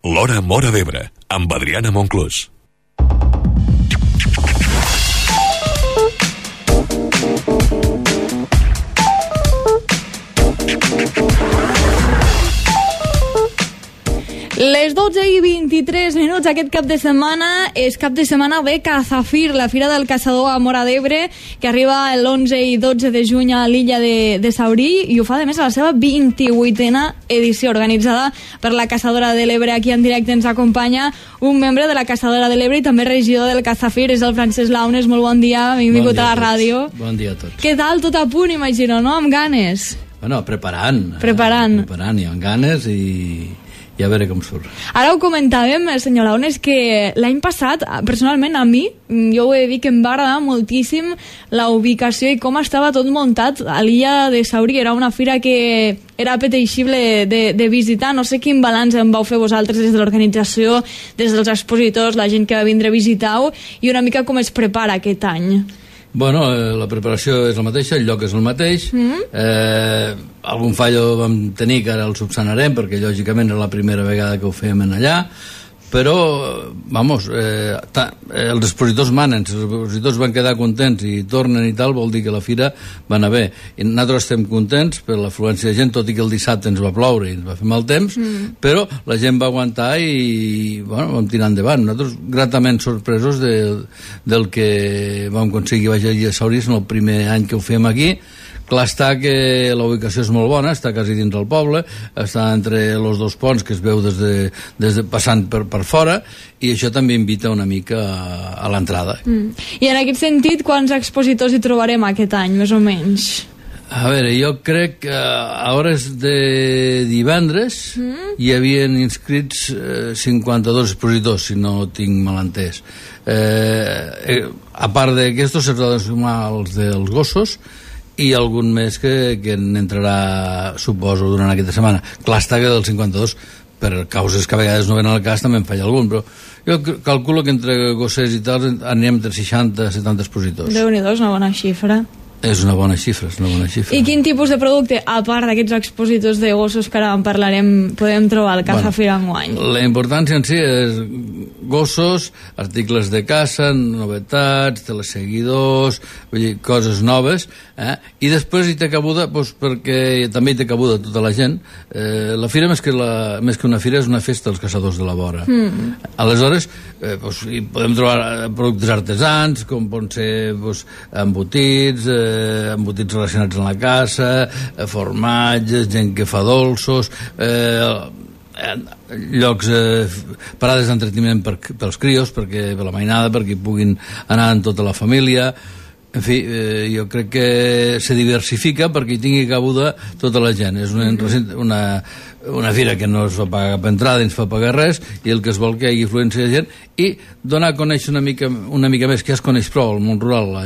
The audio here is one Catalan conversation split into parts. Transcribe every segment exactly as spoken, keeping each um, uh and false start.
L'Hora Móra d'Ebre, amb Adriana Monclús. Les dotze i vint-i-tres minuts aquest cap de setmana és cap de setmana de Cazafir, la Fira del Caçador a Móra d'Ebre, que arriba l'onze i dotze de juny a l'illa de, de Saurí, i ho fa, a més, a la seva vint-i-vuitena edició, organitzada per la Caçadora de l'Ebre. Aquí en directe ens acompanya un membre de la Caçadora de l'Ebre i també regidor del Cazafir, és el Francesc Launes. Molt bon dia, benvingut bon a la ràdio. Bon dia a tots. Què tal? Tot a punt, imagino, no? Amb ganes. Bueno, preparant. Preparant. Eh? Preparant, i amb ganes, i... i a veure com surt. Ara ho comentàvem, senyor Launes, que l'any passat, personalment a mi, jo ho he de dir que em va agradar moltíssim la ubicació i com estava tot muntat a l'illa de Saurí. Era una fira que era apeteixible de, de visitar. No sé quin balanç en vau fer vosaltres des de l'organització, des dels expositors, la gent que va vindre a visitar-ho, i una mica com es prepara aquest any. Bueno, eh, la preparació és la mateixa, el lloc és el mateix. Mm-hmm. eh, algun fallo vam tenir, que ara el subsanarem, perquè lògicament era la primera vegada que ho fèiem en allà, però, vamos, eh, ta, eh, els expositors manen, si els expositors van quedar contents i tornen i tal, vol dir que la fira va anar bé. I nosaltres estem contents per l'afluència de gent, tot i que el dissabte ens va ploure i ens va fer mal temps, mm. però la gent va aguantar i, bueno, vam tirar endavant. Nosaltres gratament sorpresos de, del que vam aconseguir baix a Saurí en el primer any que ho fem aquí. Clar està que la ubicació és molt bona, està quasi dins del poble, està entre els dos ponts que es veu des de, des de passant per, per fora, i això també invita una mica a, a l'entrada. Mm. I en aquest sentit, quants expositors hi trobarem aquest any, més o menys? A veure, jo crec que a hores de divendres mm. hi havien inscrits eh, cinquanta-dos expositors, si no tinc mal entès. Eh, eh, a part d'aquestos, s'ha de sumar els dels gossos, i algun més que, que n'entrarà, suposo, durant aquesta setmana. Clar està que dels cinquanta-dos, per causes que a vegades no ven al cas, també en falla algun, però jo calculo que entre gossers i tal anirem entre seixanta a setanta expositors. Déu-n'hi-do, és una bona xifra. És una bona xifra, és una bona xifra. I quin tipus de producte, a part d'aquests expositors de gossos que ara en parlarem, podem trobar al Cazafir enguany? La importància en si és gossos, articles de caça, novetats, teleseguidors, vull dir, coses noves, eh? I després hi té cabuda, doncs, perquè també hi té cabuda tota la gent. Eh, la fira, més que, la, més que una fira, és una festa dels caçadors de la vora. Mm. Aleshores, eh, doncs, hi podem trobar productes artesans, com poden ser doncs, embotits, eh, embotits relacionats amb la caça, eh, formatges, gent que fa dolços, eh, llocs, eh, parades d'entreteniment per, pels crios, perquè, per la mainada, perquè hi puguin anar amb tota la família. En fi, eh, jo crec que se diversifica perquè hi tingui cabuda tota la gent. És una, una, una fira que no es fa pagar cap entrada, ni es fa pagar res, i el que es vol que hi hagi influència de gent, i donar a conèixer una mica, una mica més, que ja es coneix prou el món rural,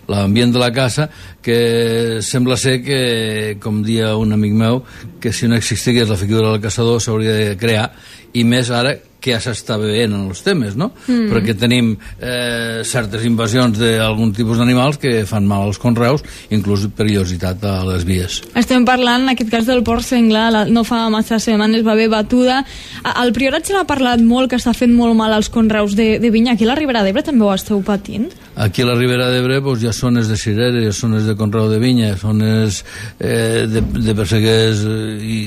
l'ambient de la caça, que sembla ser que, com dia un amic meu, que si no existís la figura del caçador s'hauria de crear, i més ara que ja s'està veient en els temes, no? Mm. Perquè tenim eh, certes invasions d'algun tipus d'animals que fan mal als conreus, inclús perillositat a les vies. Estem parlant, en aquest cas, del porc senglar. No fa massa setmanes va haver batuda. Al Priorat se n'ha parlat molt, que està fent molt mal als conreus de, de vinya. Aquí a la Ribera d'Ebre també ho esteu patint? Aquí a la Ribera d'Ebre pues, hi ha zones de cirera, hi ha zones de conreu de vinya, zones eh, de, de perseguers i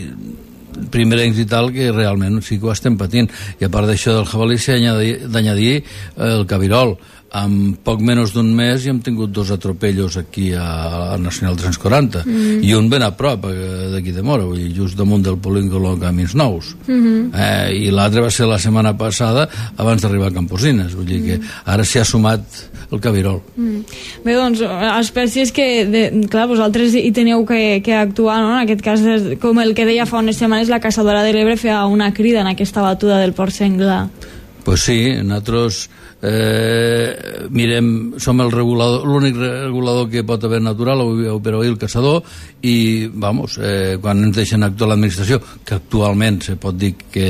primerencs i tal, que realment sí que ho estem patint. I a part d'això del jabalí s'ha d'anyadir el cabirol. En poc menys d'un mes ja hem tingut dos atropellos aquí a, a Nacional tres-cents quaranta, mm. i un ben a prop d'aquí de Móra, vull dir, just damunt del polígon Camins Nous. Mm-hmm. eh, i l'altre va ser la setmana passada abans d'arribar a Camposines, vull dir que ara s'hi ha sumat el cabirol. Mm. Bé, doncs, espècies que, de, clar, vosaltres hi teniu que, que actuar, no? En aquest cas, com el que deia fa unes setmanes, la Caçadora de l'Ebre feia una crida en aquesta batuda del porc senglar. Pues sí, nosaltres eh, mirem, som el regulador, l'únic regulador que pot haver natural, però el caçador, i vamos, eh, quan ens deixen actuar l'administració, que actualment se pot dir que,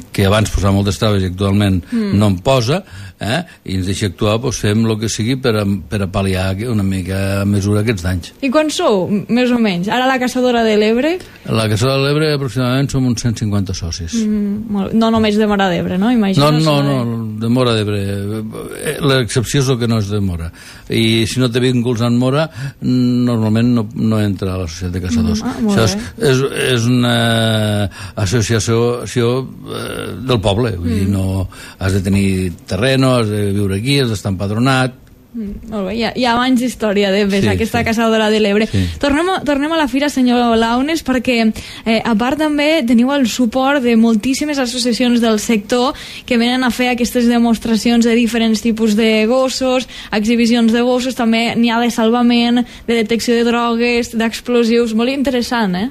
que abans posava moltes traves i actualment mm. no en posa, eh, i ens deixa actuar, doncs fem el que sigui per a, per a pal·liar una mica a mesura aquests danys. I quan sou, més o menys? Ara la Caçadora de l'Ebre? La Caçadora de l'Ebre aproximadament som uns cent cinquanta socis. Mm, no només de Móra d'Ebre, no? Imagino, no, no, no, de Móra d'Ebre. L'excepció és el que no és de Móra. I si no té vínculs en Móra, normalment no, no entra a la Societat de Caçadors. Mm, ah, això és, és, és una associació eh, del poble. Vull mm. dir, no has de tenir terreno, has de viure aquí, has d'estar empadronat. Mm, molt bé, hi ha, hi ha abans d'història de sí, aquesta sí. Caçadora de l'Ebre. Sí. Tornem, a, tornem a la fira, senyor Launes, perquè eh, a part també teniu el suport de moltíssimes associacions del sector que venen a fer aquestes demostracions de diferents tipus de gossos, exhibicions de gossos, també n'hi ha de salvament, de detecció de drogues, d'explosius, molt interessant, eh?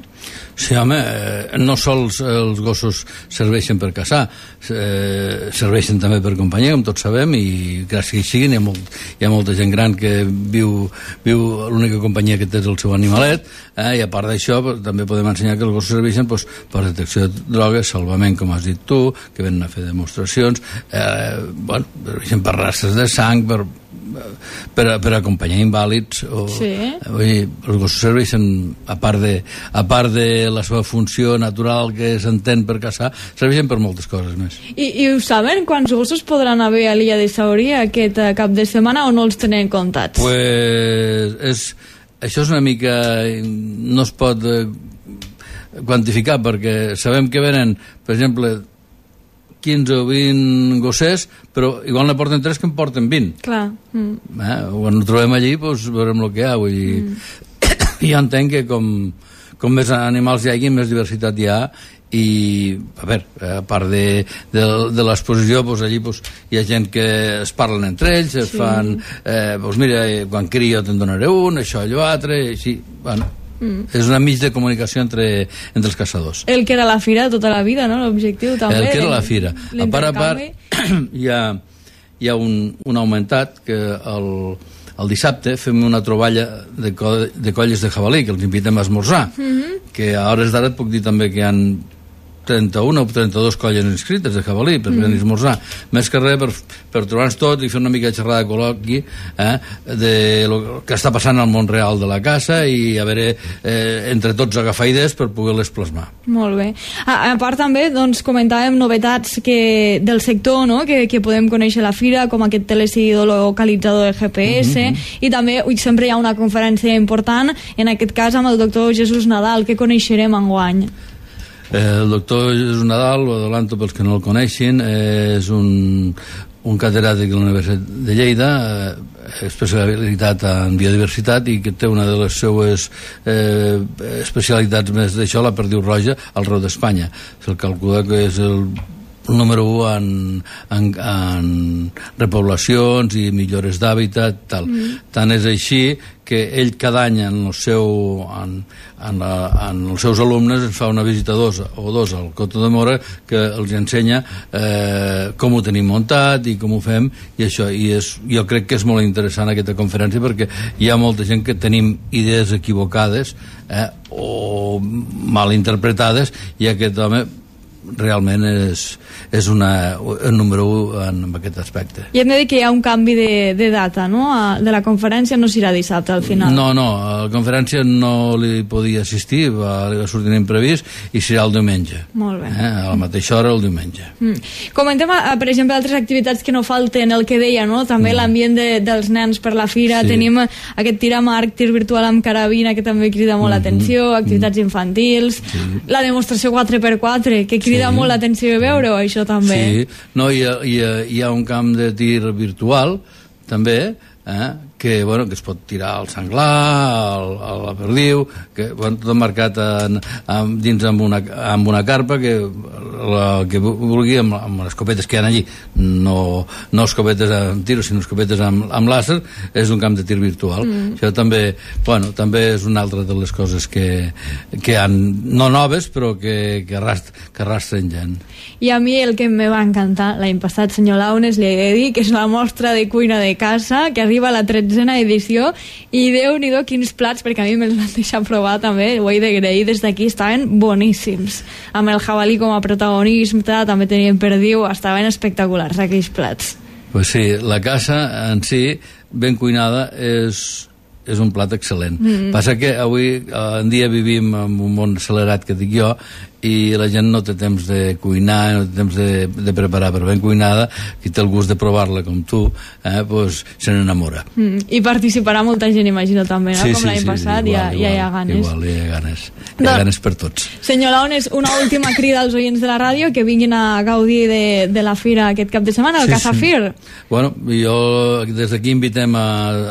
Sí, home, eh, no sols els gossos serveixen per caçar, eh, serveixen també per companyia, com tots sabem, i gràcies que hi siguin, hi ha, molt, hi ha molta gent gran que viu, viu l'única companyia que té és el seu animalet, eh, i a part d'això també podem ensenyar que els gossos serveixen doncs, per detecció de drogues, salvament, com has dit tu, que venen a fer demostracions, eh, bueno, serveixen per rastres de sang, per per, per acompanyar invàlids o, sí. vull dir, els gossos serveixen a part, de, a part de la seva funció natural que s'entén per caçar, serveixen per moltes coses més. I, i ho saben? Quants gossos podran haver a l'illa de Saurí aquest cap de setmana o no els tenen comptats? Pues és, això és una mica no es pot eh, quantificar perquè sabem que venen, per exemple, quinze o vint gossers, però igual ne porten tres que en porten vint. Clar. Mm. Eh? Quan ho trobem allí, doncs veurem el que hi ha. Vull dir, mm. jo entenc que com, com més animals hi hagi, més diversitat hi ha, i a veure, a part de, de, de l'exposició, doncs allí doncs, hi ha gent que es parlen entre ells, es sí. fan, eh, doncs mira, quan crio te'n donaré un, això, allò, altre, i així, bueno, Mm. és una mig de comunicació entre, entre els caçadors. El que era la fira tota la vida, no? L'objectiu també. El que era la fira. A part a part, hi ha, hi ha un, un augmentat que el, el dissabte fem una troballa de, co de colles de jabalí, que els invitem a esmorzar, mm-hmm. que a hores d'ara et puc dir també que hi ha trenta-una o trenta-dos colles inscrites de jabalí per mm. venir a esmorzar, més que res per, per trobar-nos tot i fer una mica de xerrada de col·loqui eh, de lo que està passant al món real de la caça i a veure, eh, entre tots agafar idees per poder-les plasmar. Molt bé. A, a part també, doncs, comentàvem novetats que, del sector, no?, que, que podem conèixer a la fira, com aquest teleseguidor localitzador de G P S, mm-hmm. i també ui, sempre hi ha una conferència important, en aquest cas amb el doctor Jesús Nadal, que coneixerem enguany. El doctor Jesús Nadal, ho adelanto pels que no el coneixin, és un, un catedràtic de la Universitat de Lleida, especialitat en biodiversitat i que té una de les seues eh, especialitats més d'això, la perdiu roja, al Reu d'Espanya. Se'l calcula que és el número u en, en, en repoblacions i millores d'hàbitat, tal. Mm. Tant és així que ell cada any en, el seu, en, en, la, en els seus alumnes ens fa una visita dos o dos al Coto de Mora que els ensenya eh, com ho tenim muntat i com ho fem, i això, i és, jo crec que és molt interessant aquesta conferència perquè hi ha molta gent que tenim idees equivocades eh, o mal interpretades, i aquest home realment és, és una, un número un en, en aquest aspecte. I hem de dir que hi ha un canvi de, de data, no? De la conferència no serà dissabte al final. No, no, a la conferència no li podia assistir, va, va sortir imprevist, i serà el diumenge. Molt bé. Eh? A la mateixa hora el diumenge. Mm. Comentem, per exemple, altres activitats que no falten, el que deia, no? També mm. l'ambient de, dels nens per la fira, sí. Tenim aquest tir amb arc, tir virtual amb carabina, que també crida molt mm-hmm. l'atenció, activitats mm. infantils, sí. La demostració quatre per quatre, que crida crida sí. molt l'atenció de veure-ho, això també. Sí, no, hi ha, hi, ha, hi ha un camp de tir virtual, també, eh, que, bueno, que es pot tirar al senglar, al, a la perdiu, que, bueno, tot marcat en, en, dins amb una, amb una carpa que la que vulgui amb, amb les escopetes que hi ha allí, no, no escopetes amb tiro, sinó escopetes amb, amb làser, és un camp de tir virtual. Mm. Això també, bueno, també és una altra de les coses que, que han, no noves, però que, que, arrast, que arrastren gent. I a mi el que me va encantar l'any passat, senyor Launes, li he de dir que és la mostra de cuina de casa, que arriba a la tretzena edició, i Déu-n'hi-do quins plats, perquè a mi me'ls van deixar provar també, ho he d'agrair des d'aquí, estaven boníssims. Amb el jabalí com a protagonisme, també tenien perdiu, estaven espectaculars aquells plats. Pues sí, la casa en si, ben cuinada, és... és un plat excel·lent. Mm-hmm. Passa que avui en dia vivim en un món accelerat, que dic jo, i la gent no té temps de cuinar, no té temps de, de preparar, però ben cuinada, qui té el gust de provar-la com tu, eh, pues, se n'enamora. Mm. I participarà molta gent, imagino, també, no? Sí, Com sí, l'any sí, passat, igual, ja, igual, ja hi ha ganes. Igual, hi ha ganes. Hi ha No. ganes per tots. Senyor Launes, una última crida als oients de la ràdio que vinguin a gaudir de, de la fira aquest cap de setmana, el Sí, Casafir. sí. Bueno, jo des d'aquí invitem a,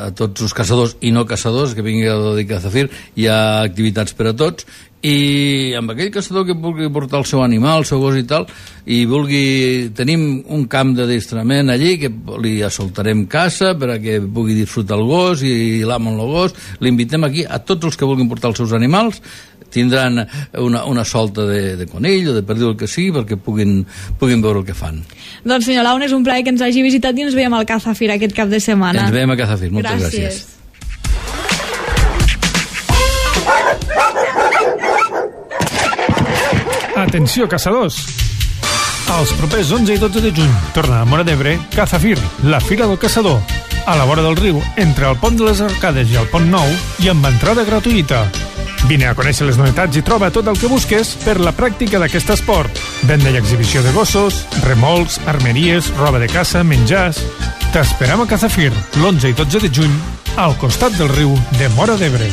a tots els caçadors i no caçadors que vinguin a gaudir Casafir. Hi ha activitats per a tots, i amb aquell caçador que vulgui portar el seu animal, el seu gos i tal, i vulgui... Tenim un camp de distrament allí que li assoltarem caça per a que pugui disfrutar el gos i l'amo amb el gos. L'invitem aquí a tots els que vulguin portar els seus animals, tindran una, una solta de, de conill o de perdiu, el que sigui, perquè puguin, puguin veure el que fan. Doncs senyor Launes, un plaer que ens hagi visitat i ens veiem al Casafir aquest cap de setmana. Ens veiem a Casafir, moltes gràcies. gràcies. Atenció, caçadors! Els propers onze i dotze de juny torna a Móra d'Ebre Casafir, la Fira del Caçador, a la vora del riu, entre el Pont de les Arcades i el Pont Nou, i amb entrada gratuïta. Vine a conèixer les novetats i troba tot el que busques per la pràctica d'aquest esport. Venda i exhibició de gossos, remolcs, armeries, roba de caça, menjars... T'esperem a Casafir, l'onze i dotze de juny, al costat del riu de Móra d'Ebre.